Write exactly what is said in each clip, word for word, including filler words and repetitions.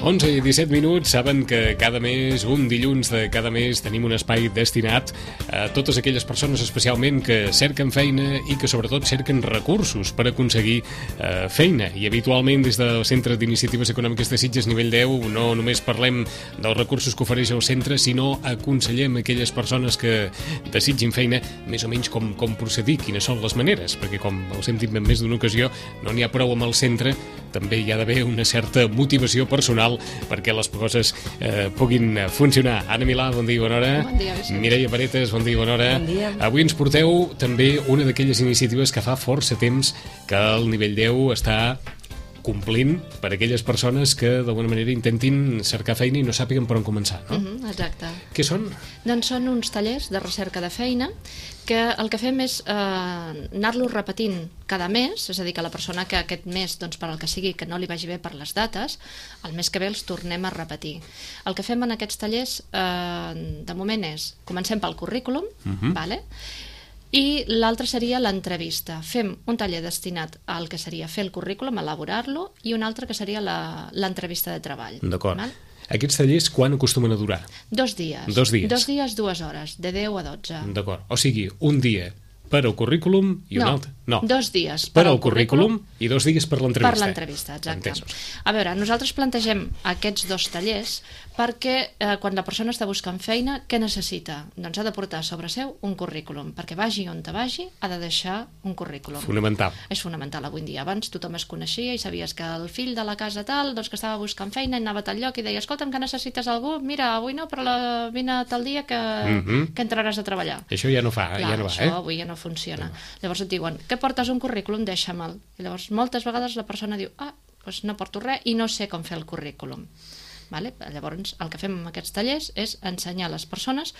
onze i disset minuts, saben que cada mes, un dilluns de cada mes, tenim un espai destinat a totes aquelles persones especialment que cerquen feina i que sobretot cerquen recursos per aconseguir eh, feina. I habitualment des del Centre d'Iniciatives Econòmiques de Sitges nivell deu no només parlem dels recursos que ofereix el centre, sinó aconsellem aquelles persones que desitgin feina més o menys com, com procedir, quines són les maneres, perquè com els hem dit en més d'una ocasió, no n'hi ha prou amb el centre, també hi ha d'haver una certa motivació personal perquè les coses eh, puguin funcionar. Anna Milà, bon dia i bona hora. Bon dia, Vicent. Mireia Paretes, bon dia i bona hora. Bon dia. Avui ens porteu també una d'aquelles iniciatives que fa força temps que el nivell deu està complint per a aquelles persones que d'alguna manera intentin cercar feina i no sàpiguen per on començar, no? Mm-hmm, exacte. Què són? Doncs són uns tallers de recerca de feina que el que fem és eh, anar-los repetint cada mes, és a dir, que la persona que aquest mes, doncs, per al que sigui, que no li vagi bé per les dates, el mes que ve els tornem a repetir. El que fem en aquests tallers, eh, de moment és, comencem pel currículum, Mhm. vale? I l'altre seria l'entrevista. Fem un taller destinat al que seria fer el currículum, elaborar-lo, i un altre que seria la- l'entrevista de treball. D'acord. Val? Aquests tallers quan acostumen a durar? Dos dies. Dos dies. Dos dies, dues hores, de deu a dotze. D'acord. O sigui, un dia per al currículum i un No, altre... No, dos dies per per al al currículum i dos dies per l'entrevista. Per l'entrevista, exacte. Entesos. A veure, nosaltres plantegem aquests dos tallers perquè eh, quan la persona està buscant feina, què necessita? Doncs ha de portar sobre seu un currículum, perquè vagi on te vagi, ha de deixar un currículum. Fonamental. És fonamental avui en dia. Abans tothom es coneixia i sabies que el fill de la casa tal, doncs que estava buscant feina i anava a tal lloc i deia, escolta'm, que necessites algú? Mira, avui no, però la... vine tal dia que, Mhm. que entraràs a treballar. Això ja no fa, Clar, ja no va, això eh? avui ja no funciona. Llavors et diuen, què portes un currículum? Deixa'me'l. I llavors moltes vegades la persona diu, ah, doncs no porto res i no sé com fer el currículum. Vale? Llavors el que fem amb aquests tallers és ensenyar a les persones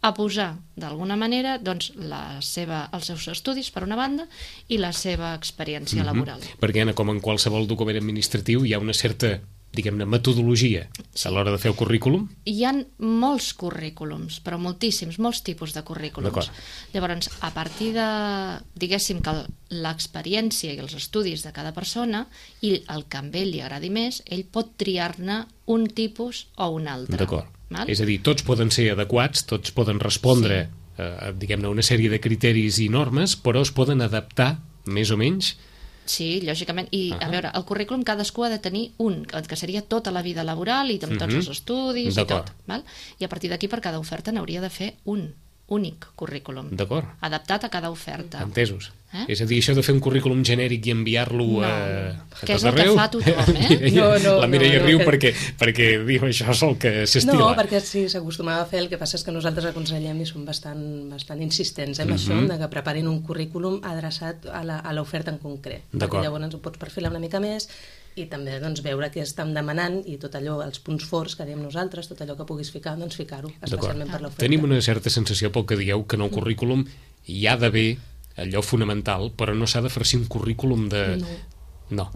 a posar d'alguna manera doncs, la seva, els seus estudis per una banda i la seva experiència laboral. Perquè, Anna, com en qualsevol document administratiu, hi ha una certa, diguem-ne, metodologia a l'hora de fer el currículum. Hi ha molts currículums, però moltíssims, molts tipus de currículums. D'acord. Llavors, a partir de, diguéssim, que l'experiència i els estudis de cada persona i el que a ell li agradi més, ell pot triar-ne un tipus o un altre. D'acord. Val? És a dir, tots poden ser adequats, tots poden respondre, sí. eh, diguem-ne, una sèrie de criteris i normes, però es poden adaptar, més o menys. Sí, lògicament. I, Ah. a veure, el currículum cadascú ha de tenir un, que seria tota la vida laboral i amb tots Mhm. els estudis i D'acord. tot. Val? I a partir d'aquí, per cada oferta, n'hauria de fer un únic currículum. D'acord. Adaptat a cada oferta. Entesos. Eh? És a dir, això de fer un currículum genèric i enviar-lo No, a, a que és tot el que arreu... fa tothom, eh? Mireia, No, no, la Mireia no, no, riu que- perquè, perquè diu això és el que s'estila. No, perquè sí, s'acostumava a fer, el que passa és que nosaltres aconsellem i som bastant, bastant insistents eh, amb això, de que preparin un currículum adreçat a la- a l'oferta en concret. D'acord. Perquè llavors ho pots perfilar una mica més i també doncs, veure què estan demanant i tot allò, els punts forts que diem nosaltres, tot allò que puguis ficar, doncs ficar-ho, especialment per l'oferta. Tenim una certa sensació pel que dieu que en el currículum hi ha d'haver allò fonamental, però no s'ha de farcir un currículum de... No. No,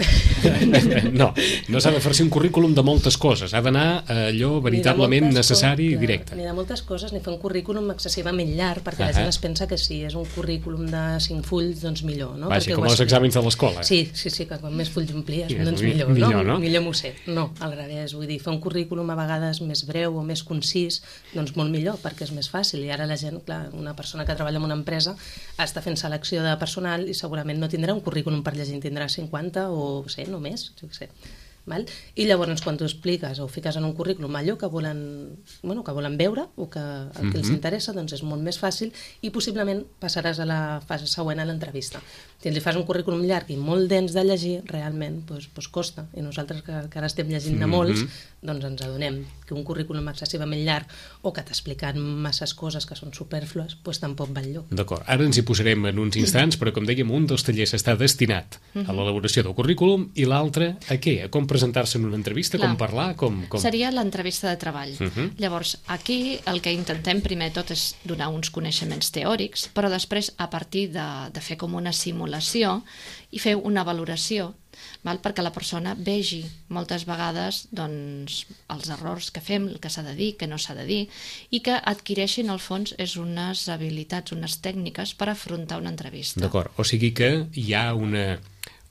no, no s'ha de farcir un currículum de moltes coses, ha d'anar a allò veritablement Ni de moltes necessari i coses, directe. Ni de moltes coses, ni fer un currículum excessivament llarg, perquè Ah, la gent ah. es pensa que si és un currículum de cinc fulls, doncs millor, no? Vaja, Perquè com ho els has- exàmens de l'escola. Sí, sí, sí, que quan més fulls omplies, Sí, doncs mi- millor, millor, no? no? Millor m'ho sé. No, al revés, vull dir, fer un currículum a vegades més breu o més concís, doncs molt millor, perquè és més fàcil. I ara la gent, clar, una persona que treballa en una empresa està fent selecció de personal i segurament no tindrà un currículum per llegir, en tindrà cinquanta o, sé, no més, jo què sé. Val? I llavors quan tu expliques o fiques en un currículum allò que volen, bueno, que volen veure o que el que els Mhm. interessa, doncs és molt més fàcil i possiblement passaràs a la fase següent a l'entrevista. Si li fas un currículum llarg i molt dens de llegir, realment doncs, doncs costa. I nosaltres que, que ara estem llegint de molts, Mhm. doncs ens adonem que un currículum excessivament llarg o que t'expliquen masses coses que són superflues, doncs tampoc va enlloc. D'acord, ara ens hi posarem en uns instants, però com dèiem, un dels tallers està destinat a l'elaboració del currículum i l'altre a què? A com presentar-se en una entrevista, Clar. com parlar, com... com... Seria l'entrevista de treball. Mhm. Llavors, aquí el que intentem primer de tot és donar uns coneixements teòrics, però després, a partir de, de fer com una simulació i fer una valoració, val? Perquè la persona vegi moltes vegades doncs, els errors que fem, el que s'ha de dir, que no s'ha de dir, i que adquireixin, al fons, és unes habilitats, unes tècniques per afrontar una entrevista. D'acord, o sigui que hi ha una...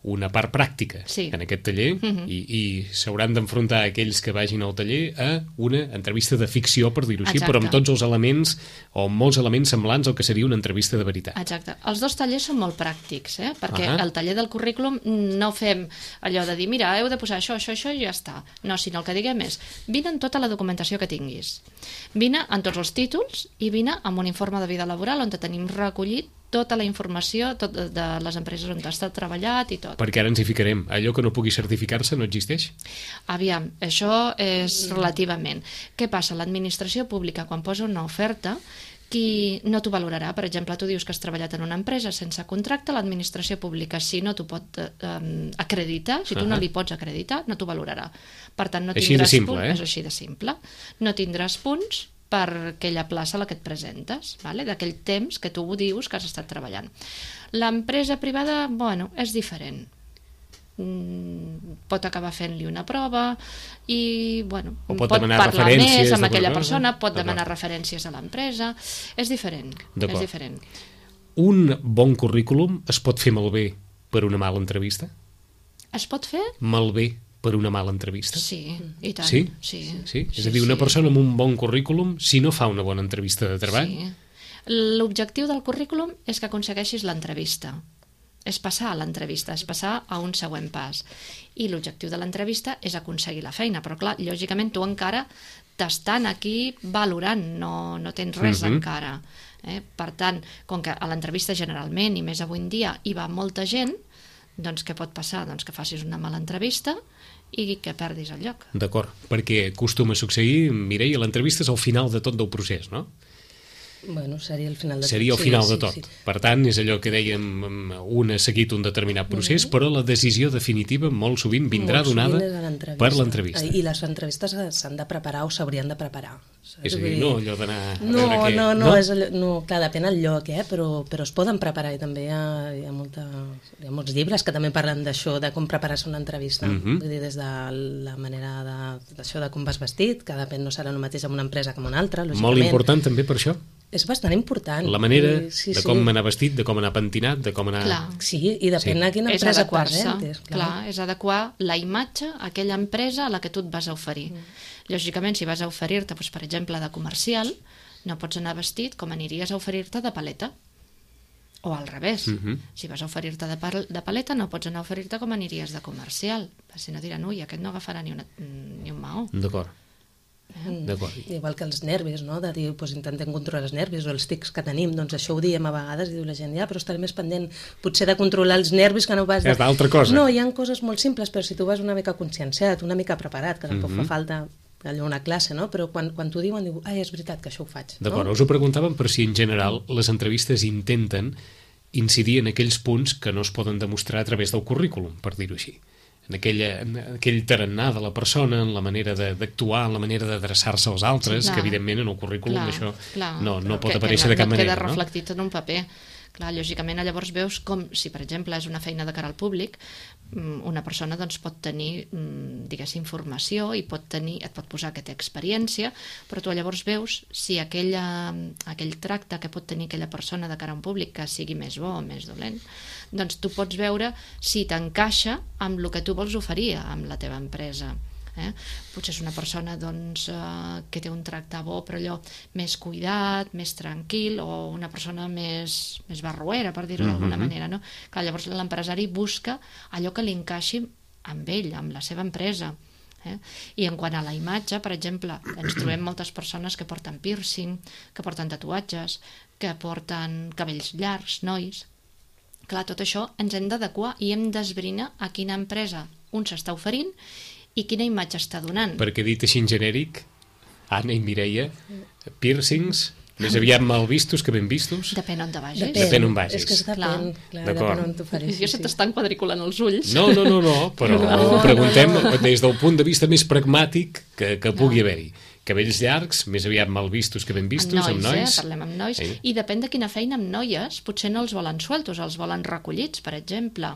una part pràctica sí. en aquest taller uh-huh. i, i s'hauran d'enfrontar aquells que vagin al taller a una entrevista de ficció, per dir-ho així, però amb tots els elements o molts elements semblants al que seria una entrevista de veritat. Exacte. Els dos tallers són molt pràctics, eh? Perquè uh-huh. el taller del currículum no fem allò de dir, mira, heu de posar això, això, això i ja està. No, sinó el que diguem és, vine amb tota la documentació que tinguis. Vine amb tots els títols i vine amb un informe de vida laboral on tenim recollit tota la informació tot de les empreses on has treballat i tot. Perquè ara ens hi ficarem. Allò que no pugui certificar-se no existeix? Aviam, això és relativament. Què passa? L'administració pública, quan posa una oferta, qui no t'ho valorarà. Per exemple, tu dius que has treballat en una empresa sense contracte, l'administració pública, si no t'ho pot eh, acreditar, si tu uh-huh. no li pots acreditar, no t'ho valorarà. Per tant, no així tindràs de simple, punts, eh? és així de simple. No tindràs punts per aquella plaça a la que et presentes, vale? D'aquell temps que tu dius que has estat treballant. L'empresa privada, bueno, és diferent. Mm, pot acabar fent-li una prova i, bueno, o pot, pot parlar més amb aquella cosa. persona, pot demanar referències a l'empresa. És diferent, és diferent. Un bon currículum es pot fer malbé per una mala entrevista? Es pot fer? Malbé per una mala entrevista? Sí, i tant. Sí? Sí. sí? És a dir, una persona amb un bon currículum, si no fa una bona entrevista de treball... Sí. L'objectiu del currículum és que aconsegueixis l'entrevista. És passar a l'entrevista, és passar a un següent pas. I l'objectiu de l'entrevista és aconseguir la feina. Però, clar, lògicament, tu encara t'estan aquí valorant, no, no tens res uh-huh. encara. Eh? Per tant, com que a l'entrevista generalment, i més avui en dia, hi va molta gent, doncs què pot passar? Doncs que facis una mala entrevista i que perdis el lloc. D'acord, perquè acostuma a succeir, Mireia, l'entrevista és al final de tot del procés, no? Bueno, seria el final de tot. Seria el final sí, de tot. Sí, sí. Per tant, és allò que dèiem, un ha seguit un determinat procés, mm-hmm. però la decisió definitiva molt sovint vindrà molt donada sovint per l'entrevista. I les entrevistes s'han de preparar o s'haurien de preparar. Saps? És a dir, no allò d'anar a no, veure què... No, no, no, és allò, no, clar, depèn del lloc, eh? però, però es poden preparar i també hi ha, hi ha, molta, hi ha molts llibres que també parlen d'això, de com preparar-se una entrevista. Mm-hmm. Vull dir, des de la manera de, d'això de com vas vestit, que depèn, no serà el mateix en una empresa que en una altra, lògicament. Molt important també per això. És bastant important. La manera sí, sí, de com sí. anar vestit, de com anar pentinat, de com anar... Clar. Sí, i depèn sí. a quina empresa et presentes. Clar. clar, és adequar la imatge a aquella empresa a la que tu et vas a oferir. Mm. Lògicament, si vas a oferir-te, doncs, per exemple, de comercial, no pots anar vestit com aniries a oferir-te de paleta. O al revés. Mm-hmm. Si vas a oferir-te de, de paleta, no pots anar a oferir-te com aniries de comercial. Si no diran, ui, aquest no agafarà ni, una, ni un maó. D'acord. Mm. Igual que els nervis, no? De dir, doncs, intentem controlar els nervis o els tics que tenim, doncs això ho diem a vegades i diu la gent, ja, però estaré més pendent potser de controlar els nervis que no vas... De... És d'altra cosa. No, hi ha coses molt simples, però si tu vas una mica conscienciat, una mica preparat, que tampoc mm-hmm. fa falta allò una classe, no? Però quan, quan t'ho diuen, diu, ai, és veritat que això ho faig. D'acord, no? us ho preguntàvem per si en general les entrevistes intenten incidir en aquells punts que no es poden demostrar a través del currículum, per dir-ho així. En, aquella, en aquell tarannà de la persona, en la manera de, d'actuar, en la manera d'adreçar-se als altres, sí, que evidentment en el currículum clar, això clar, no, no pot aparèixer que, de cap no manera. Queda reflectit en un paper. Clar, lògicament, llavors veus com, si per exemple és una feina de cara al públic, una persona doncs, pot tenir, diguéssim, informació i pot tenir, et pot posar que té experiència, però tu llavors veus si aquella, aquell tracte que pot tenir aquella persona de cara a un públic, que sigui més bo o més dolent, doncs tu pots veure si t'encaixa amb el que tu vols oferir amb la teva empresa. Eh? Potser és una persona doncs, eh, que té un tracte bo però allò més cuidat, més tranquil, o una persona més, més barroera, per dir-ho d'alguna mm-hmm. manera, no? Clar, llavors l'empresari busca allò que li encaixi amb ell, amb la seva empresa. Eh? I en quant a la imatge, per exemple, ens trobem moltes persones que porten piercing, que porten tatuatges, que porten cabells llargs, nois. Clar, tot això ens hem d'adequar i hem d'esbrinar a quina empresa un s'està oferint i quina imatge està donant. Perquè dit així en genèric, Anna i Mireia, piercings, més aviat mal vistos que ben vistos? Depèn on te vagis. Depèn, depèn on vagis. És que és depèn, clar, depèn on t'ho faris. Jo se t'estan quadriculant els ulls. No, no, no, no però no. Ho preguntem des del punt de vista més pragmàtic que, que pugui no. haver-hi. Cabells llargs, més aviat mal vistos que ben vistos, amb nois. Amb nois, eh? Parlem amb nois. Eh? I depèn de quina feina amb noies, potser no els volen sueltos, els volen recollits, per exemple.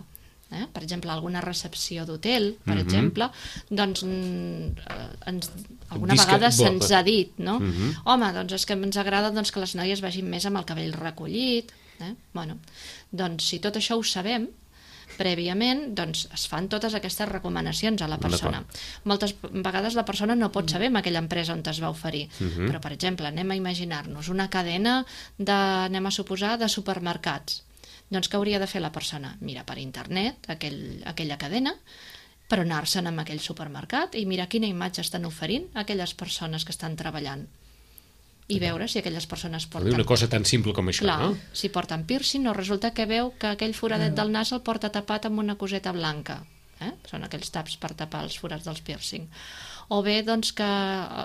Eh? Per exemple, alguna recepció d'hotel, per mm-hmm. exemple, doncs ens, alguna Disca... vegada se'ns ha dit, no? Mm-hmm. Home, doncs és que ens agrada doncs, que les noies vagin més amb el cabell recollit. Eh? Bueno, doncs si tot això ho sabem, prèviament, doncs es fan totes aquestes recomanacions a la persona. Moltes vegades la persona no pot saber en aquella empresa on es va oferir, uh-huh. però per exemple, anem a imaginar-nos una cadena de, anem a suposar, de supermercats. Doncs què hauria de fer la persona? Mira per internet aquell, aquella cadena, per anar-se'n amb aquell supermercat i mirar quina imatge estan oferint aquelles persones que estan treballant i veure si aquelles persones porten... Una cosa tan simple com això, Clar, no? si porten piercing o resulta que veu que aquell foradet del nas el porta tapat amb una coseta blanca. Eh? Són aquells taps per tapar els forats dels piercing. O bé doncs, que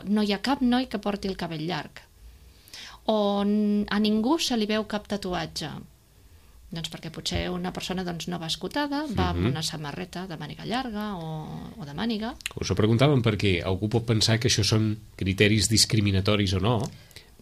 no hi ha cap noi que porti el cabell llarg. O a ningú se li veu cap tatuatge. Doncs perquè potser una persona doncs, no va escotada, va amb una samarreta de màniga llarga o, o de màniga. Us ho preguntàvem perquè algú pot pensar que això són criteris discriminatoris o no,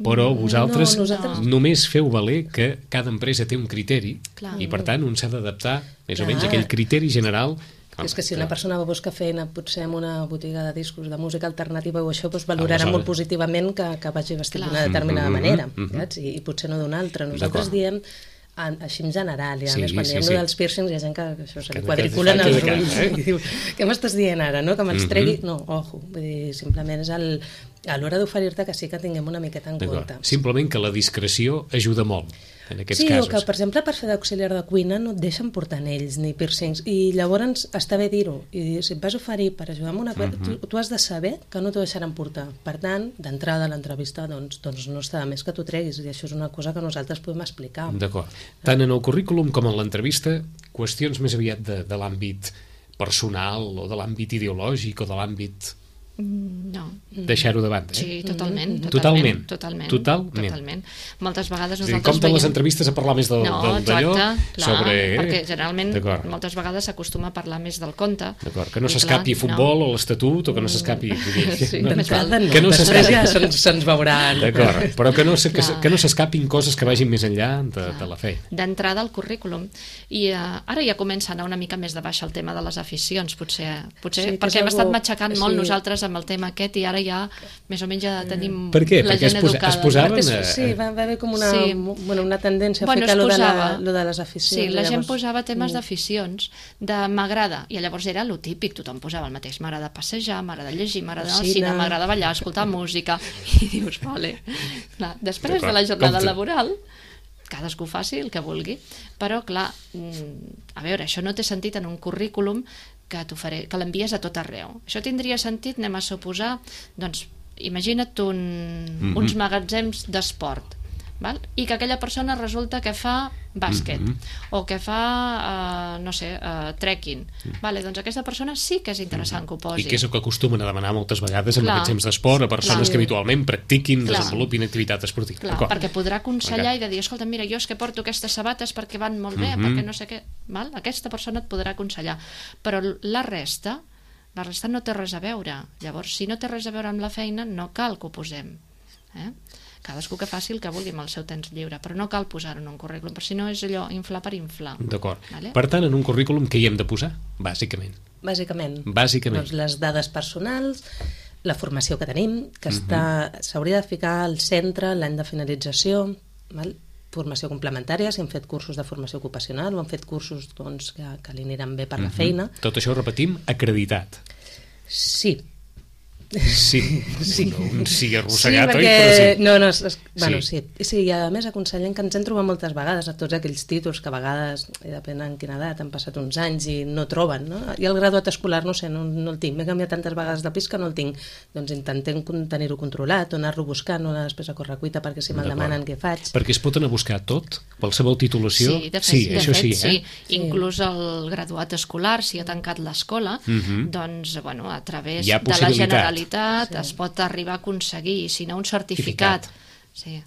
però vosaltres no, nosaltres... només feu valer que cada empresa té un criteri. Clar. I per tant un s'ha d'adaptar més Clar. o menys a aquell criteri general. És que si una persona va buscar feina potser en una botiga de discos de música alternativa o això, doncs valorarà Aleshores... molt positivament que, que vagi vestit d'una determinada Mm-hmm, manera, mm-hmm. saps? I, i potser no d'una altra. Nosaltres diem en, així en general, i a Sí, més quan sí, diem sí. dels piercings hi ha gent que, que això se Que- li que quadriculen te els faig de ulls cara, eh? i diu, què m'estàs dient ara, no? Que me'ls Mhm. tregui? No, ojo, vull dir, simplement és el, a l'hora d'oferir-te que sí que tinguem una miqueta en D'acord. compte. Simplement que la discreció ajuda molt en aquests Sí, casos. o que, per exemple, per fer d'auxiliar de cuina no et deixen portar anells ni piercings, i llavors està bé dir-ho, i si et vas oferir per ajudar amb una cosa, Mhm. tu, tu has de saber que no t'ho deixaran portar. Per tant, d'entrada a l'entrevista, doncs, doncs no està de més que t'ho treguis, i això és una cosa que nosaltres podem explicar. D'acord. Tant en el currículum com en l'entrevista, qüestions més aviat de, de l'àmbit personal o de l'àmbit ideològic o de l'àmbit... No. deixar-ho de banda, eh? Sí, totalment. Totalment. Totalment. Totalment. totalment. Moltes vegades És a dir, nosaltres com de les veiem... entrevistes a parlar més del, No, del, d'allò exacte, clar, sobre... perquè generalment D'acord. moltes vegades s'acostuma a parlar més del conte. D'acord, que no I s'escapi clar, futbol o l'estatut o que no s'escapi... Sí, no, més val. D'entrada no, Que no després s'escapi. ja se'ns, se'ns veuran. D'acord, però que no, se- que, Clar. que no s'escapin coses que vagin més enllà de, de la feina. D'entrada al currículum. I uh, ara ja comença a anar una mica més de baix el tema de les aficions, potser, potser Sí, que perquè és hem estat algo- matxacant sí. molt nosaltres amb el tema aquest i ara ja més o menys ja tenim Per què? la Perquè es gent posa- educada. es posaven Perquè a- és- sí, va va haver com una, Sí. bueno, una tendència a Bueno, fer es que lo de, la, posava- lo de les aficions. Sí, la gent llavors- posava temes Mm. d'aficions, de m'agrada, i llavors era lo típic, tothom posava el mateix, m'agrada passejar, m'agrada llegir, m'agrada anar al Cine. cine, m'agrada ballar, escoltar música, i dius, vale. Clar, després de D'acord, la jornada compte. laboral, cadascú faci el que vulgui, però clar, mm, a veure, això no té sentit en un currículum que, t'oferé- que l'envies a tot arreu. Això tindria sentit, anem a suposar, doncs, imagina't un, Mhm. uns magatzems d'esport, val? I que aquella persona resulta que fa bàsquet Mhm. o que fa, uh, no sé, uh, trekking. Vale, doncs aquesta persona sí que és interessant que ho posi. I que és el que acostumen a demanar moltes vegades en Clar. aquests temps d'esport a persones Clar. que habitualment practiquin, Clar. desenvolupin activitat esportiva. Clar, D'acord. perquè podrà aconsellar i de dir, escolta, mira, jo és que porto aquestes sabates perquè van molt bé, Mhm. perquè no sé què... Val? Aquesta persona et podrà aconsellar. Però la resta, la resta no té res a veure. Llavors, si no té res a veure amb la feina, no cal que ho posem. Eh? Cadascú que faci el que vulgui amb el seu temps lliure, però no cal posar-ho en un currículum, perquè si no és allò, inflar per inflar. D'acord. Vale? Per tant, en un currículum què hi hem de posar? Bàsicament. Bàsicament. Bàsicament. Doncs les dades personals, la formació que tenim, que Mhm. està s'hauria de ficar al centre l'any de finalització, val? Formació complementària, si hem fet cursos de formació ocupacional o hem fet cursos doncs, que, que li aniran bé per la Mhm. feina. Tot això ho repetim, acreditat. Sí, Sí, Sí. no un sí sí, arrossegat, oi? perquè... Però sí. No, no, és, és, bueno, Sí. sí. sí. I a més aconsellem que ens hem trobat moltes vegades a tots aquells títols que a vegades, i depèn en quina edat, han passat uns anys i no troben, no? I el graduat escolar, no sé, no, no el tinc. M'he canviat tantes vegades de pis que no el tinc. Doncs intentem con- tenir-ho controlat, o anar-lo buscant, o anar després a correcuita perquè si me'l D'acord. demanen què faig. Perquè es pot anar a buscar tot, qualsevol titulació. Sí, de fet, sí, de això fet, sí, sí. eh? Sí. Inclús el graduat escolar, si ha tancat l'escola, Mhm. doncs, bueno, a través Hi ha de la possibilitat. Generalitat Sí. es pot arribar a aconseguir, i si no un certificat. Sí.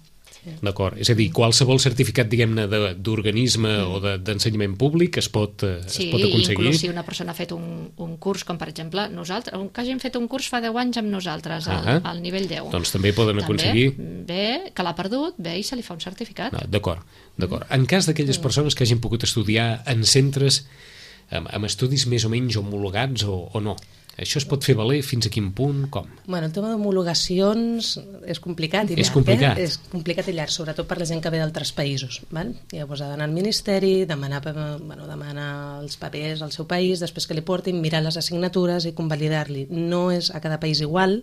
D'acord, és a dir, qualsevol certificat, diguem-ne, de- d'organisme o de- d'ensenyament públic es pot, eh, Sí, es pot aconseguir. inclús si una persona ha fet un, un curs, com per exemple nosaltres, un, que hagin fet un curs fa deu anys amb nosaltres, al, Ah. al nivell deu. Doncs també poden També, aconseguir... Bé, que l'ha perdut, bé, i se li fa un certificat. No, d'acord, d'acord. En cas d'aquelles persones que hagin pogut estudiar en centres amb, amb estudis més o menys homologats o, o no? Això es pot fer valer fins a quin punt, com? Bueno, el tema d'homologacions és complicat i llarg. És complicat. Eh? És complicat i llarg, sobretot per la gent que ve d'altres països. Val? Llavors ha d'anar al Ministeri, demanar, bueno, demanar els papers al seu país, després que li portin, mirar les assignatures i convalidar-li. No és a cada país igual,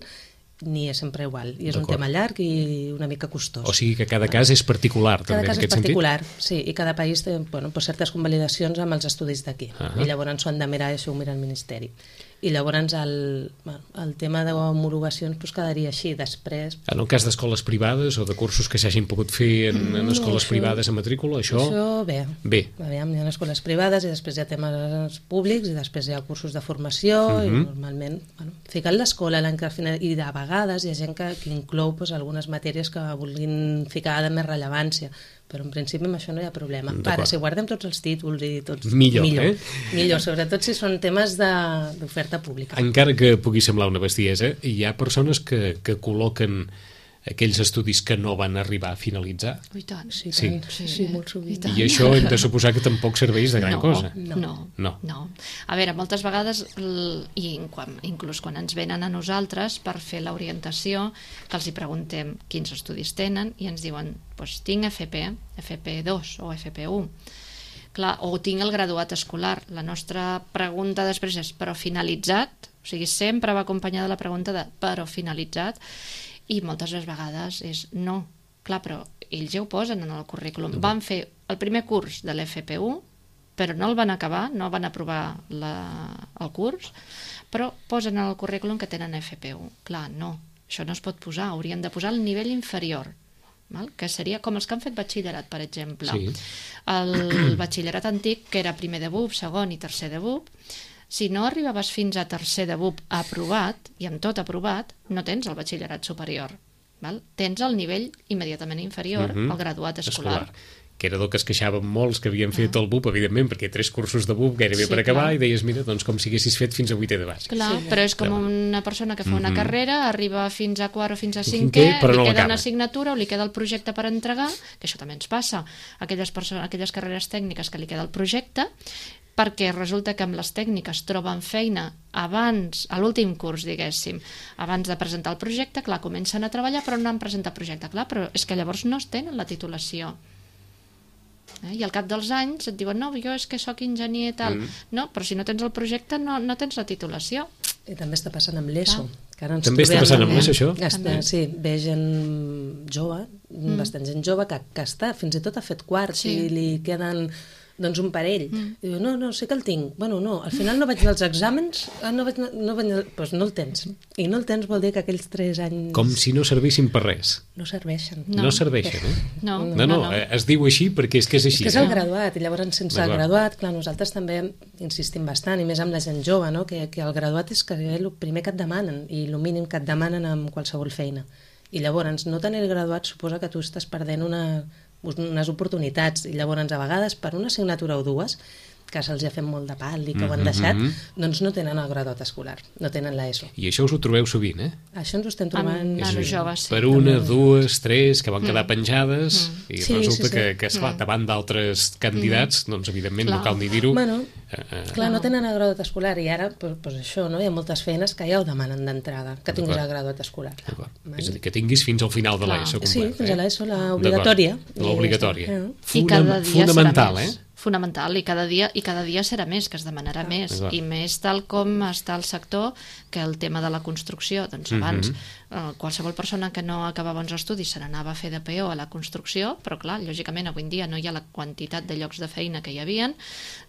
ni és sempre igual. I és un tema llarg i una mica costós. O sigui que cada cas és particular, cada també, cas en aquest és particular, sentit? sí, i cada país té bueno, pues certes convalidacions amb els estudis d'aquí. Uh-huh. I llavors s'ho han de mirar i això ho mira el Ministeri. I llavors el, bueno, el tema d'homologacions pues, quedaria així. Després... En el cas d'escoles privades o de cursos que s'hagin pogut fer en, en escoles no, això, privades a matrícula, això... Això bé. Bé. Aviam, hi ha escoles privades i després hi ha temes públics i després hi ha cursos de formació uh-huh. i normalment, bueno, ficant l'escola l'any que final, i de vegades hi ha gent que, que inclou pues, algunes matèries que vulguin ficar de més rellevància, però en principi amb això no hi ha problema. Ara, si guardem tots els títols i tots... Millor, millor eh? Millor, sobretot si són temes d'oferta pública. Encara que pugui semblar una bestiesa, hi ha persones que, que col·loquen aquells estudis que no van arribar a finalitzar. I tant. Sí, sí. tant. sí, sí molt sovint. I, I això hem de suposar que tampoc serveix de gran no, cosa. No, no, no. no. A veure, moltes vegades, i quan, inclús quan ens venen a nosaltres per fer l'orientació, que els hi preguntem quins estudis tenen i ens diuen, doncs tinc F P, F P dos o F P u. Clar, o tinc el graduat escolar. La nostra pregunta després és però finalitzat? O sigui, sempre va acompanyada de la pregunta de però finalitzat? I moltes vegades és no. Clar, però ells ja ho posen en el currículum. Van fer el primer curs de l'F P u, però no el van acabar, no van aprovar la, el curs, però posen en el currículum que tenen F P u. Clar, no, això no es pot posar, haurien de posar el nivell inferior, val? Que seria com els que han fet batxillerat, per exemple. Sí. El batxillerat antic, que era primer de B U P, segon i tercer de B U P, si no arribaves fins a tercer de B U P aprovat, i amb tot aprovat, no tens el batxillerat superior. Val? Tens el nivell immediatament inferior uh-huh. al graduat escolar. escolar. Que era del que es queixaven molts que havien fet uh-huh. el B U P, evidentment, perquè tres cursos de B U P gairebé sí, per acabar, clar. I deies, mira, doncs com si haguessis fet fins a vuitè de bàsic. Clar, sí, però és com però... una persona que fa una uh-huh. carrera, arriba fins a quart o fins a cinquè, cinquè, li no queda una assignatura o li queda el projecte per entregar, que això també ens passa, aquelles, persones, aquelles carreres tècniques que li queda el projecte, perquè resulta que amb les tècniques troben feina abans, a l'últim curs, diguéssim, abans de presentar el projecte, clar, comencen a treballar però no han presentat projecte, clar, però és que llavors no es tenen la titulació. Eh? I al cap dels anys et diuen, no, jo és que sóc enginyer i tal. Mm. No, però si no tens el projecte no, no tens la titulació. I també està passant amb l'ESO. Que ara ens també està passant amb l'ESO, això? Està, sí, ve gent jove, mm. bastant gent jove, que, que està, fins i tot ha fet quarts sí. i li queden... doncs un parell. Mm. I diu, no, no, sé que el tinc. Bueno, no, al final no vaig anar als exàmens, no vaig anar, no vaig anar... Pues no el tens. I no el tens vol dir que aquells tres anys... Com si no servissin per res. No serveixen. No, no serveixen, eh? No, no, no, no, no. Es diu així perquè és que és així. És que és el graduat, i llavors sense el graduat, clar, nosaltres també insistim bastant, i més amb la gent jove, no? que, que el graduat és que el primer que et demanen, i el mínim que et demanen amb qualsevol feina. I llavors, no tenir el graduat suposa que tu estàs perdent una... unes oportunitats, i llavors a vegades per una assignatura o dues que se'ls ha fet molt de pal i que ho han deixat, mm-hmm. doncs no tenen el graduat escolar, no tenen l'ESO. I això us ho trobeu sovint, eh? Això ens ho estem trobant... Amb nanos joves, sí. Per una, dues, tres, que van quedar mm. penjades, mm. i sí, resulta sí, sí. que, que esclar, davant d'altres candidats, mm. doncs evidentment clar. No cal ni dir-ho. Bueno, eh, eh. clar, no tenen el graduat escolar, i ara, pues, pues això, no? Hi ha moltes feines que ja ho demanen d'entrada, que tinguis el graduat escolar. És a dir, que tinguis fins al final de l'ESO. Sí, fins a l'ESO, l'obligatòria. L'obligatòria. Fonamental, eh? Fonamental, i cada dia i cada dia serà més, que es demanarà ah, més, i més tal com està el sector, que el tema de la construcció, doncs abans mm-hmm. eh, qualsevol persona que no acabava uns estudis se n'anava a fer de P O a la construcció, però clar, lògicament avui en dia no hi ha la quantitat de llocs de feina que hi havien,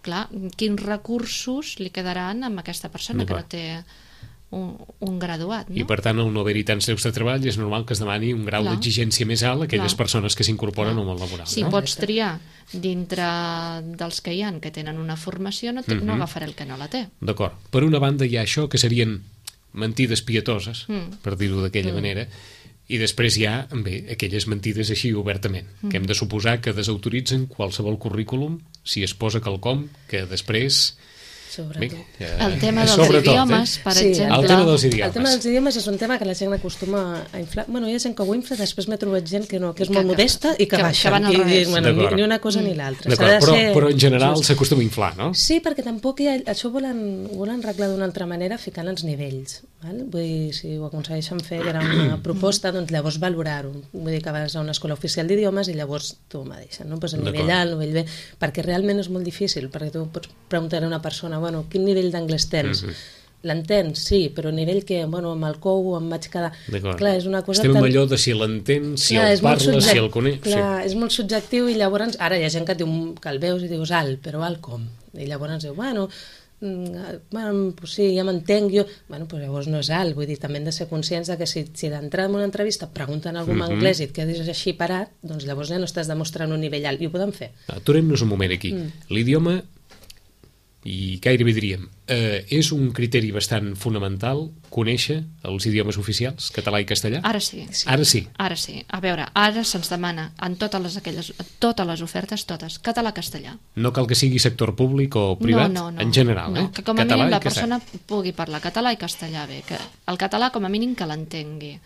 clar, quins recursos li quedaran amb aquesta persona que no té un, un graduat, no? I per tant, al no haver-hi tants llocs de treball, és normal que es demani un grau d'exigència més alt a aquelles clar. Persones que s'incorporen al món laboral. Si no? pots triar dintre dels que hi ha que tenen una formació, no, mm-hmm. no agafaré el que no la té. D'acord. Per una banda hi ha això, que serien mentides pietoses, mm. per dir-ho d'aquella mm. manera, i després hi ha, bé, aquelles mentides així obertament, mm. que hem de suposar que desautoritzen qualsevol currículum si es posa quelcom que després Sobretot. eh, El tema dels sobretot, idiomes, eh? per Sí, exemple... El tema dels idiomes. El tema dels idiomes és un tema que la gent acostuma a inflar. Bueno, hi ha gent que ho infla, després m'he trobat gent que no, que és Que- molt que- modesta i que, que- baixa. que van al I, revés. bueno, ni, D'acord. ni una cosa ni l'altra. D'acord, S'ha de però, ser però en general just. s'acostuma a inflar, no? Sí, perquè tampoc hi ha, això ho volen, ho volen arreglar d'una altra manera ficant els nivells. Val? Vull dir, si ho aconsegueixen fer, que era una proposta, doncs llavors valorar-ho. Vull dir que vas a una escola oficial d'idiomes i llavors tu mateixa, no? Pues el nivell D'acord. alt, el nivell B, perquè realment és molt difícil, perquè tu pots preguntar a una persona, bueno, quin nivell d'anglès tens? Mhm. L'entens, sí, però a nivell que, bueno, amb el cou em vaig quedar... D'acord. Clar, és una cosa Estem tan... amb allò de si l'entén, si Clar, el és molt parla, si subject- el coneix... Clar, és molt subjectiu i llavors... Ara hi ha gent que, et diu, que el veus i dius alt, però alt com? I llavors diu, bueno, mm, bueno pues sí, ja m'entenc jo... Bueno, pues llavors no és alt, vull dir, també hem de ser conscients de que si, si d'entrada en una entrevista pregunten algú en Mhm. anglès i et quedes així parat, doncs llavors ja no estàs demostrant un nivell alt, i ho podem fer. Aturem-nos un moment aquí. Mm. L'idioma, i gairebé diríem, eh, és un criteri bastant fonamental conèixer els idiomes oficials, català i castellà? Ara sí. Ara sí. Ara sí. A veure, ara se'ns demana en totes les, aquelles, totes les ofertes, totes, català-castellà. No cal que sigui sector públic o privat, no, no, no. en general, no, eh? que com a Català mínim i la castellà. persona pugui parlar català i castellà bé, que el català com a mínim que l'entengui.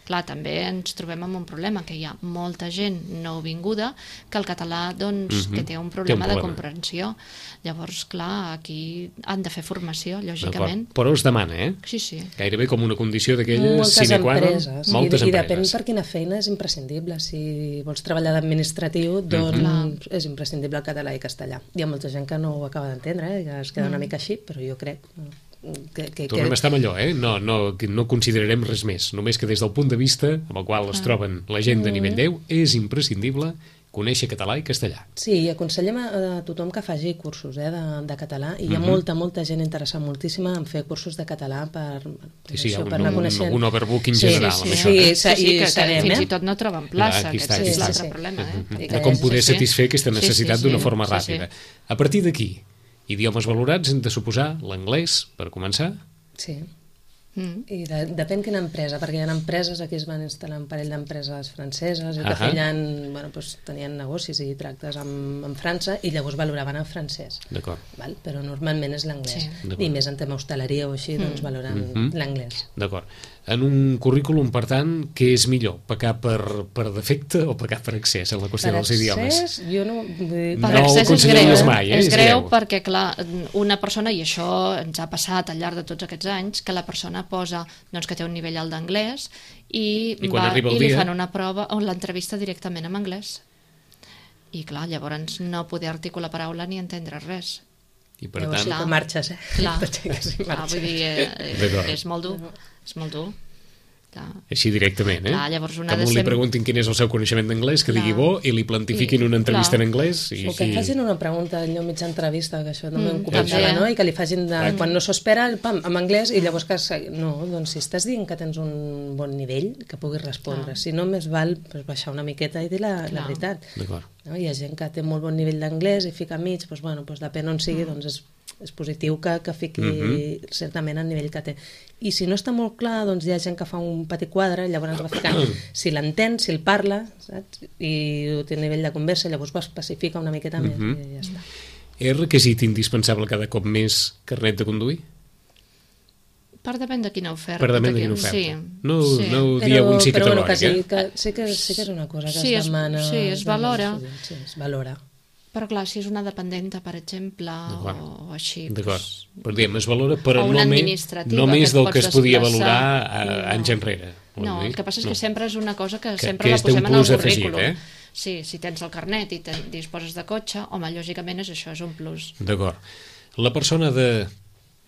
Clar, també ens trobem amb un problema, que hi ha molta gent nouvinguda que el català, doncs, Mhm. que té un Té un problema de problema. comprensió. Llavors, clar, aquí han de fer formació, D'acord. lògicament. Però es demana, eh? Sí, sí. Gairebé com una condició d'aquelles Moltes sine qua non. empreses. Moltes I, I depèn empreses. per quina feina és imprescindible. Si vols treballar d'administratiu, doncs Mhm. és imprescindible el català i castellà. Hi ha molta gent que no ho acaba d'entendre, eh? Que es queda una mica així, però jo crec que... que, Tornem a que... estar amb allò, eh? No, no, que no considerarem res més. Només que des del punt de vista amb el qual es troben la gent de nivell deu, és imprescindible conèixer català i castellà. Sí, i aconsellem a, a tothom que faci cursos eh, de, de català, i hi ha Mhm. molta, molta gent interessada moltíssima en fer cursos de català per, per, Sí, sí, hi ha això, un- per anar un- coneixent. un overbooking Sí, general sí, amb sí, això, sí, eh? sí, Sí, sí, que, que sabem, fins eh? i tot no troben plaça, Clar, aquí aquest està, és aquí l'altre està. problema. Eh? Mhm. I De que com és poder així. satisfer aquesta Sí, sí, necessitat sí. d'una forma Sí, sí. ràpida. A partir d'aquí, idiomes valorats hem de suposar l'anglès, per començar. Sí. Mm. I de, depèn quina empresa, perquè hi ha empreses, aquí es van instal·lar un parell d'empreses franceses i que Ahà. feien, bueno, doncs, tenien negocis i tractes amb, amb França i llavors valoraven el francès. D'acord. Val? Però normalment és l'anglès. Sí. D'acord. I més en tema hostaleria o així, doncs valoren Mhm. l'anglès. D'acord. En un currículum, per tant, què és millor? Pecar per, per defecte o pecar per accés en la qüestió dels idiomes? accés, jo no... Vull dir, No Per accés ho és consideraries greu, mai, eh? és És greu greu. perquè, clar, una persona, i això ens ha passat al llarg de tots aquests anys, que la persona posa doncs, que té un nivell alt d'anglès i, I quan va, arriba el i li dia? fan una prova o l'entrevista directament en anglès. I, clar, llavors no poder articular paraula ni entendre res. I per Llavors tant, sí que marxes, eh? Clar, T'aixeques i clar marxes. vull dir, eh, eh, D'acord. és molt dur, és molt dur. Clar. així directament, eh? Clar, llavors una que ha de algú li ser- preguntin quin és el seu coneixement d'anglès, que Clar. digui bo, i li plantifiquin I- una entrevista clar. en anglès. I, O que i... et facin una pregunta allò mitja entrevista, que això també Mm, em comentava, també. no? I que li facin, de, Clar. quan no s'ho espera, pam, en anglès, i llavors que... se- No, doncs si estàs dient que tens un bon nivell, que puguis respondre. Clar. Si no, més val pues, baixar una miqueta i dir la, la Clar. veritat. D'acord. No? Hi ha gent que té molt bon nivell d'anglès i fica mig, doncs, bueno, doncs depèn on sigui, doncs és, és positiu que, que fiqui Mhm. certament el nivell que té. I si no està molt clar, doncs hi ha gent que fa un petit quadre, llavors va ficant si l'entén, si el parla, saps? I té nivell de conversa, llavors ho especifica una miqueta més Mhm. i ja està. És requisit indispensable cada cop més carnet de conduir? Per depèn de quina oferta. Per depèn de quina quin- oferta. Sí, No, sí. no ho dieu en sí però bueno, que categòric, sí, eh? que, sí, que, sí que és una cosa que Sí, es es- demana. sí, es valora. demana sovint, Sí, es valora. Però clar, si és una dependenta, per exemple, D'acord. o, o així... D'acord. Doncs, Però diem, es valora, però O una no, me, administrativa no que més et del pots que es podia desplaçar. valorar a, No. anys enrere. Vol no, dir? el que passa és No. que sempre és una cosa que, Que- sempre que la és té un posem en el plus afegit, currículum. eh? Sí, si tens el carnet i ten, disposes de cotxe, home, lògicament és això, és un plus. D'acord. La persona de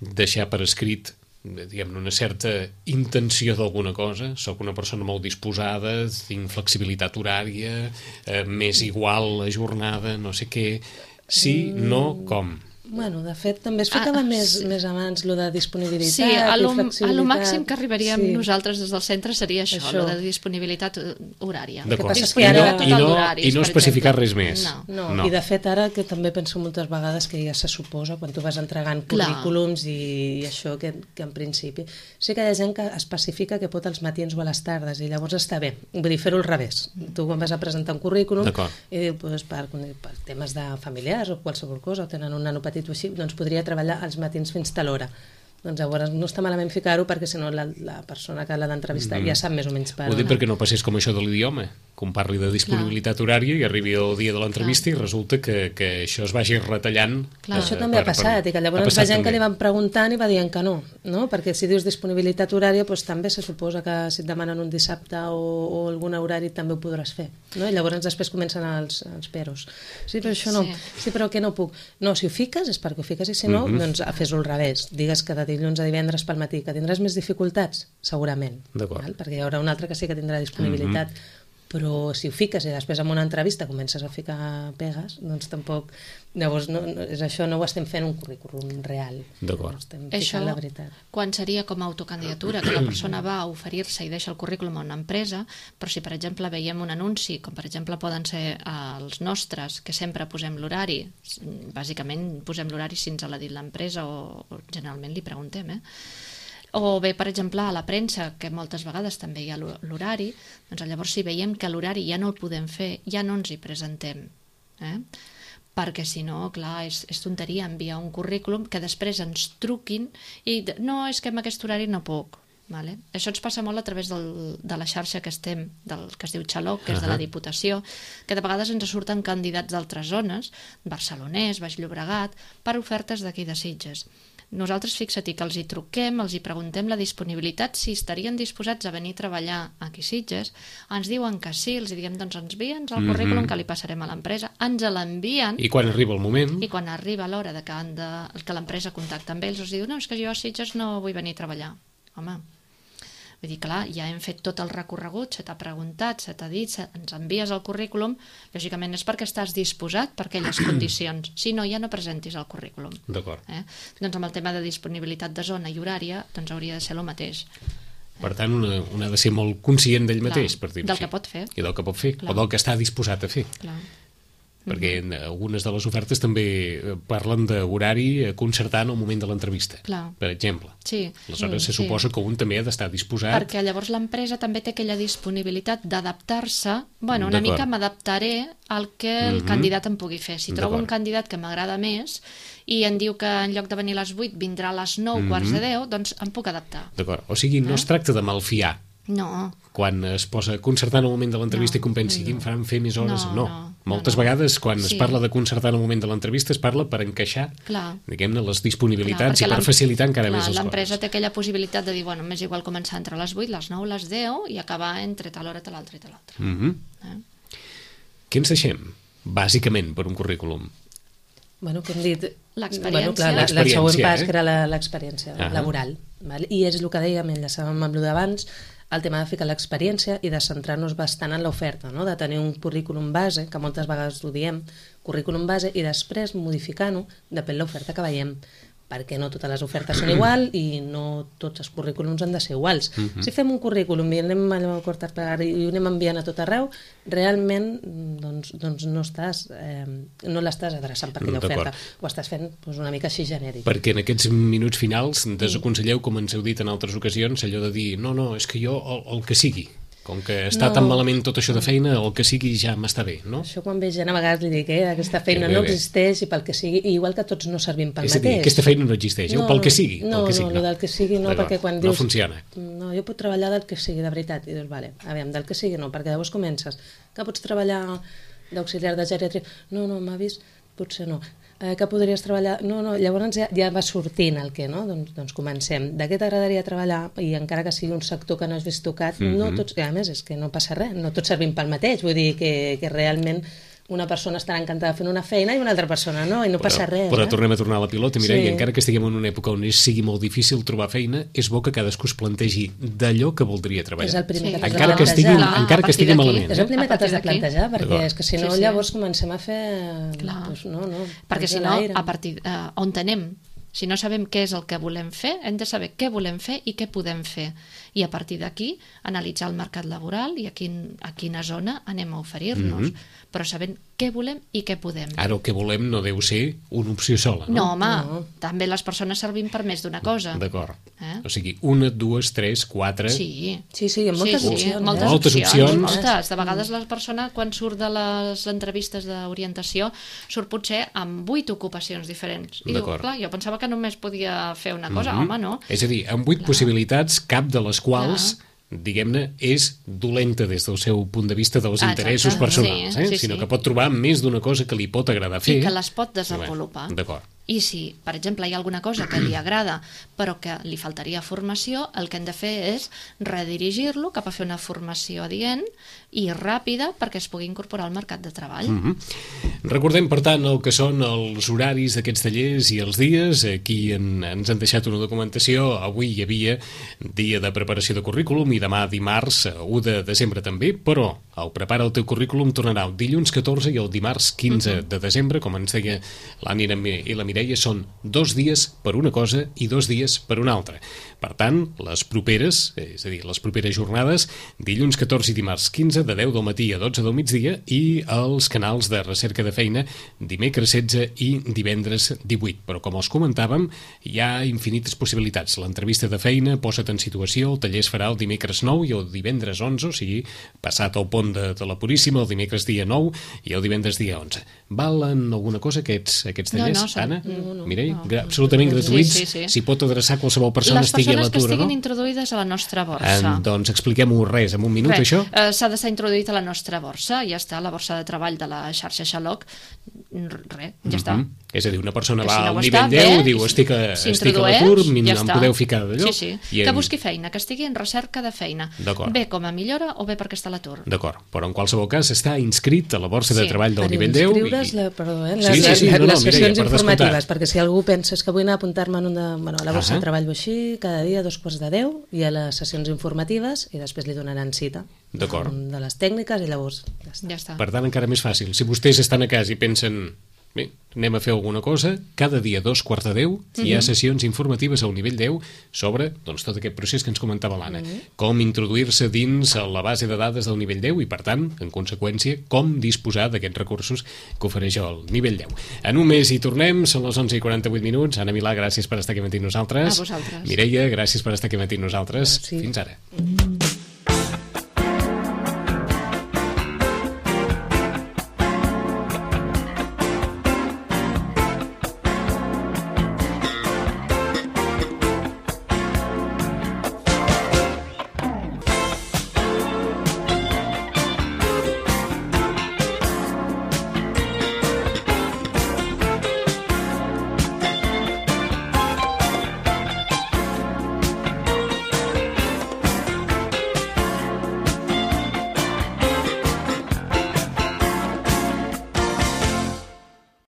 deixar per escrit diguem una certa intenció d'alguna cosa, sóc una persona molt disposada, tinc flexibilitat horària, eh, més igual la jornada, no sé què, sí, no, com? Bueno, de fet, també es ficava Ah, més, sí. més abans lo de disponibilitat Sí, a lo, i flexibilitat. a lo màxim que arribaríem Sí. nosaltres des del centre seria això, Això. això. de disponibilitat eh, horària. D'acord. passa és que I, ara- no, i, Total no, d'horaris, I no per especificar exemple. res més. No. No, no. i de fet ara que també penso moltes vegades que ja se suposa quan tu vas entregant Clar. currículums i, i això que, que en principi sí que hi ha gent que especifica que pot als matins o a les tardes i llavors està bé, vull dir fer-ho al revés, tu quan vas a presentar un currículum D'acord. i diu, pues, per, per temes de familiars o qualsevol cosa o tenen un nano petit matí o així, doncs podria treballar als matins fins tal hora. Doncs llavors no està malament ficar-ho perquè si no la, la persona que l'ha d'entrevistar mm -hmm. ja sap més o menys per Ho dic perquè no passés com això de l'idioma, com parli de disponibilitat Clar. horària i arribi el dia de l'entrevista i resulta que, que això es vagi retallant. Clar. Eh, això també per, ha passat per... i que llavors la gent també. que li van preguntant i va dient que no, no? Perquè si dius disponibilitat horària doncs també se suposa que si et demanen un dissabte o, o algun horari també ho podràs fer, no? I llavors després comencen els, els peros. Sí, però això no. Sí. sí, però que no puc. No, si ho fiques és perquè ho fiques i si no, mm -hmm. doncs fes-ho al revés. Digues que de dilluns a divendres pel matí, que tindràs més dificultats? Segurament. Val? Perquè hi haurà un altre que sí que tindrà disponibilitat. Mm-hmm. Però si ho fiques i després en una entrevista comences a ficar pegues, doncs tampoc... Llavors, no, no, és això, no ho estem fent un currículum real. D'acord. No estem ficant la veritat. Quan seria com a autocandidatura, que la persona va a oferir-se i deixa el currículum a una empresa, però si, per exemple, veiem un anunci, com per exemple poden ser els nostres, que sempre posem l'horari, bàsicament posem l'horari si ens l'ha dit l'empresa o, o generalment li preguntem, eh? O bé, per exemple, a la premsa, que moltes vegades també hi ha l'horari, doncs llavors si veiem que l'horari ja no el podem fer, ja no ens hi presentem. Eh? Perquè si no, clar, és, és tonteria enviar un currículum que després ens truquin i no, és que amb aquest horari no puc. Vale? Això ens passa molt a través del, de la xarxa que estem, del, que es diu Xaloc, que és de la Diputació, que de vegades ens surten candidats d'altres zones, barcelonès, Baix Llobregat, per ofertes d'aquí de Sitges. Nosaltres, fixa-t'hi que els hi truquem, els hi preguntem la disponibilitat, si estarien disposats a venir a treballar aquí a Sitges, ens diuen que sí, els diem, doncs ens envien el currículum que li passarem a l'empresa, ens l'envien... I quan arriba el moment... I quan arriba l'hora de que, han de, que l'empresa contacta amb ells, els diu, no, és que jo a Sitges no vull venir a treballar. Home, vull dir, clar, ja hem fet tot el recorregut, se t'ha preguntat, se t'ha dit, se, ens envies el currículum, lògicament és perquè estàs disposat per aquelles condicions. Si no, ja no presentis el currículum. D'acord. Eh? Doncs amb el tema de disponibilitat de zona i horària, doncs hauria de ser el mateix. Per tant, una, una ha de ser molt conscient d'ell mateix, per dir-ho així. Del que pot fer. I del que pot fer, clar. O del que està disposat a fer. Clar. Perquè algunes de les ofertes també parlen d'horari concertant al moment de l'entrevista, per exemple. Sí. Aleshores se suposa que un també ha d'estar disposat... Perquè llavors l'empresa també té aquella disponibilitat d'adaptar-se, bueno, una mica m'adaptaré al que el candidat em pugui fer. Si trobo un candidat que m'agrada més i em diu que en lloc de venir a les vuit vindrà a les nou, quarts de deu, doncs em puc adaptar. D'acord. O sigui, no es tracta de malfiar. No. Quan es posa concertant al moment de l'entrevista no, i compensi que em faran fer més hores, no. no. no Moltes no, no. vegades, quan sí. es parla de concertar al moment de l'entrevista, es parla per encaixar, diguem-ne, les disponibilitats clar, i per facilitar encara clar, més les coses. L'empresa té aquella possibilitat de dir, bueno, m'és igual començar entre les vuit, les nou, les deu i acabar entre tal hora, tal altra i tal altra. Mm -hmm. eh? Què ens deixem, bàsicament, per un currículum? Bueno, que hem dit... L'experiència. Bueno, clar, la, la següent pas, eh? que era l'experiència uh -huh. laboral. Val? I és el que dèiem, enllaçàvem amb el d'abans, el tema de ficar l'experiència i de centrar-nos bastant en l'oferta, no? De tenir un currículum base, que moltes vegades ho diem, currículum base, i després modificant-ho depèn de l'oferta que veiem, perquè no totes les ofertes són igual i no tots els currículums han de ser iguals. Uh -huh. Si fem un currículum i anem a cortar i ho anem enviant a tot arreu, realment doncs, doncs no estàs eh, no l'estàs adreçant per aquella oferta. Ho estàs fent doncs, una mica així genèric. Perquè en aquests minuts finals desaconselleu, com ens heu dit en altres ocasions, allò de dir, no, no, és que jo el, el que sigui. Com que està no. tan malament tot això de feina, el que sigui ja m'està bé, no? Això quan ve gent a vegades li dic, eh, aquesta feina bé, no bé. existeix i pel que sigui, i igual que tots no servim pel és mateix. És a dir, aquesta feina no existeix, no, pel que sigui. No, pel que no, sigui, no, del que sigui no, perquè quan dius... No funciona. No, jo puc treballar del que sigui, de veritat. I dius, vale, aviam, del que sigui no, perquè llavors comences, que pots treballar d'auxiliar de geriatria? No, no, m'ha vist, potser no. Eh, que podries treballar... No, no, llavors ja, ja va sortint el que, no? Doncs, doncs comencem. De què t'agradaria treballar? I encara que sigui un sector que no has vist tocat, mm-hmm. no tots... A més, és que no passa res, no tots servim pel mateix, vull dir que, que realment una persona estarà encantada fent una feina i una altra persona no, i no però, passa res. Però eh? tornem a tornar a la pilota, mira, sí. i encara que estiguem en una època on sigui molt difícil trobar feina, és bo que cadascú es plantegi d'allò que voldria treballar. És el primer sí. que encara que estigui, Clar, encara que estigui malament. És el primer que t'has de plantejar, perquè és que si no sí, sí. llavors comencem a fer... Doncs, no, no, perquè si no, a partir uh, on anem, si no sabem què és el que volem fer, hem de saber què volem fer i què podem fer. I a partir d'aquí, analitzar el mercat laboral i a, quin, a quina zona anem a oferir-nos. Mm-hmm. Però sabent què volem i què podem. Ara el que volem no deu ser una opció sola, no? No, home, No. també les persones servim per més d'una cosa. D'acord. Eh? O sigui, una, dues, tres, quatre... Sí. Sí, sí, hi ha moltes sí, sí, opcions. moltes, eh? Moltes opcions, opcions. moltes. De vegades la persona, quan surt de les entrevistes d'orientació, surt potser amb vuit ocupacions diferents. I diu, D'acord. clar, jo pensava que només podia fer una cosa. Mhm. Home, no. És a dir, amb vuit possibilitats, cap de les quals, diguem-ne, és dolenta des del seu punt de vista dels Ah, interessos exacte. personals, Sí, eh? sí, sinó sí. que pot trobar més d'una cosa que li pot agradar fer. I que les pot desenvolupar. Bé, D'acord. I si, per exemple, hi ha alguna cosa que li agrada però que li faltaria formació, el que hem de fer és redirigir-lo cap a fer una formació adient i ràpida perquè es pugui incorporar al mercat de treball. Mm -hmm. Recordem, per tant, el que són els horaris d'aquests tallers i els dies. Aquí en, ens han deixat una documentació. Avui hi havia dia de preparació de currículum i demà dimarts, u de desembre també, però el Prepara el teu currículum tornarà el dilluns catorze i el dimarts quinze de desembre, com ens deia l'Ànnia i la Mireia, són dos dies per una cosa i dos dies per una altra. Per tant, les properes, és a dir, les properes jornades, dilluns catorze i dimarts quinze, de deu del matí a dotze del migdia, i els canals de recerca de feina dimecres setze i divendres divuit. Però, com els comentàvem, hi ha infinites possibilitats. L'entrevista de feina, posa't en situació, el taller es farà el dimecres nou i el divendres onze, o sigui, passat el pont de, de la Puríssima, el dimecres dia nou i el divendres dia onze. Valen alguna cosa aquests, aquests No, tallers, no, són- Anna? no, no, Mireia? no. Gra- absolutament gratuïts. Sí, sí, sí. S'hi pot adreçar qualsevol persona Les estigui a persones que l'atur, estiguin no? introduïdes a la nostra borsa. En, doncs expliquem-ho res, en un minut, Res, això? eh, s'ha d'estar introduït a la nostra borsa, ja està, la borsa de treball de la xarxa Xaloc, res, ja està. Mhm. És a dir, una persona Que va si no al ho nivell està, deu, bé, diu, estic a, estic a s'introdueix, l'atur, em ja em està. podeu ficar d'allò? Sí, sí, I que en- busqui feina, que estigui en recerca de feina. D'acord. Bé com a millora o bé perquè està a l'atur. D'acord, però en qualsevol cas està inscrit a la borsa de Sí. treball del Per nivell deu. inscriure's, la, perdó, eh, les, Sí, sí, sí, no, no, les Mireia, sessions per informatives, descomptat. perquè si algú pensa és que vull anar a apuntar-me en una, bueno, a la borsa Ahà. de treball o així, cada dia a dos quarts de deu, hi ha les sessions informatives i després li donaran cita. D'acord. um, De les tècniques i llavors ja està. Ja està. Per tant, encara més fàcil. Si vostès estan a casa i pensen, bé, anem a fer alguna cosa, cada dia a dos quarts de deu hi ha sessions informatives al nivell deu sobre doncs, tot aquest procés que ens comentava l'Anna. Com introduir-se dins la base de dades del nivell deu i, per tant, en conseqüència, com disposar d'aquests recursos que ofereix el nivell deu. En un mes hi tornem, són les onze i quaranta-vuit minuts. Anna Milà, gràcies per estar aquí amb nosaltres. A vosaltres. Mireia, gràcies per estar aquí amb nosaltres. Sí. Fins ara.